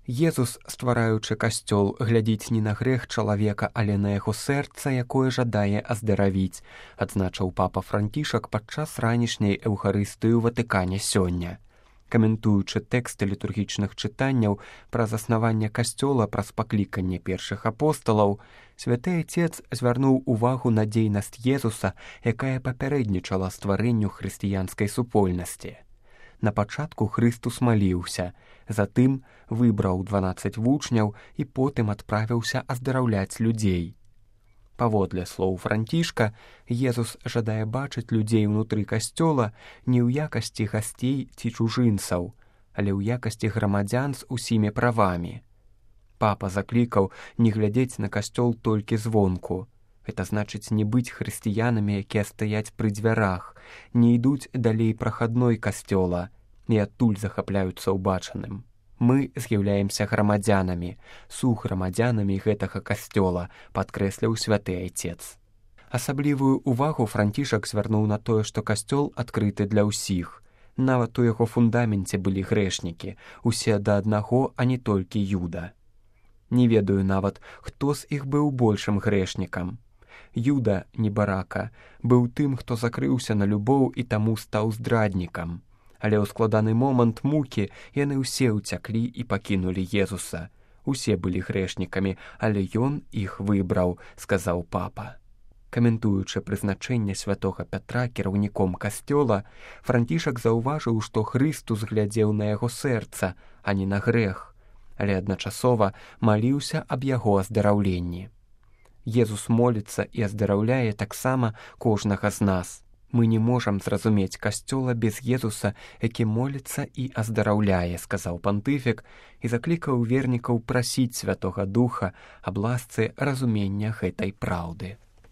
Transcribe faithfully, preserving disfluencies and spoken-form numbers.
Езус, ствараючы касцёл, глядзіць не на грэх чалавека, але на яго сэрца, якое жадае аздаравіць, адзначыў папа Францішак падчас ранішняй эўхарыстыі ў Ватыкане сёння. Каментуючы тэксты літургічных чытанняў пра заснаванне касцёла праз пакліканне першых апосталаў, святы Айцец звярнуў увагу на дзейнасць Езуса, якая папярэднічала стварэнню хрысціянскай супольнасці. На пачатку Хрыстус маліўся, затым выбраў дванаццаць вучняў і потым адправіўся аздараўляць людзей. Паводле слоў Францішка, Езус жадае бачыць людзей унутры касцёла не ў якасці гасцей ці чужынцаў, але ў якасці грамадзян з усімі правамі. Папа заклікаў не глядзець на касцёл толькі звонку. Гэта значыць не быць хрысціянамі, якія стаяць пры дзвярах, не ідуць далей прахадной касцёла і адтуль захапляюцца ўбачаным. Мы з'яўляемся грамадзянамі, сugрамадзянамі гэтага касцёла, падкрэсліў святы Айцец. Асаблівую увагу Францішак звярнуў на тое, што касцёл адкрыты для ўсіх. Нават у яго фундаменце былі грэшнікі, усе да аднаго, а не толькі Юда. Не ведаю нават, хто з іх быў большым грэшнікам. Юда, небарака, быў тым, хто закрыўся на любоў і таму стаў здраднікам. Але ў складаны момант мукі яны ўсе ўцяклі і пакінулі Езуса. Усе былі грэшнікамі, але ён іх выбраў, сказаў папа. Каментуючы прызначэнне святога Пятра кіраўніком касцёла, Францішак заўважыў, што Хрыстус глядзеў на яго сэрца, а не на грэх, але адначасова маліўся аб яго аздараўленні. Езус моліцца і аздараўляе таксама кожнага з нас. Мы не можам зразумець касцёла без Езуса, які моліцца і аздараўляе, сказаў пантыфік і заклікаў вернікаў прасіць Святога Духа аб ласцы разумення гэтай праўды.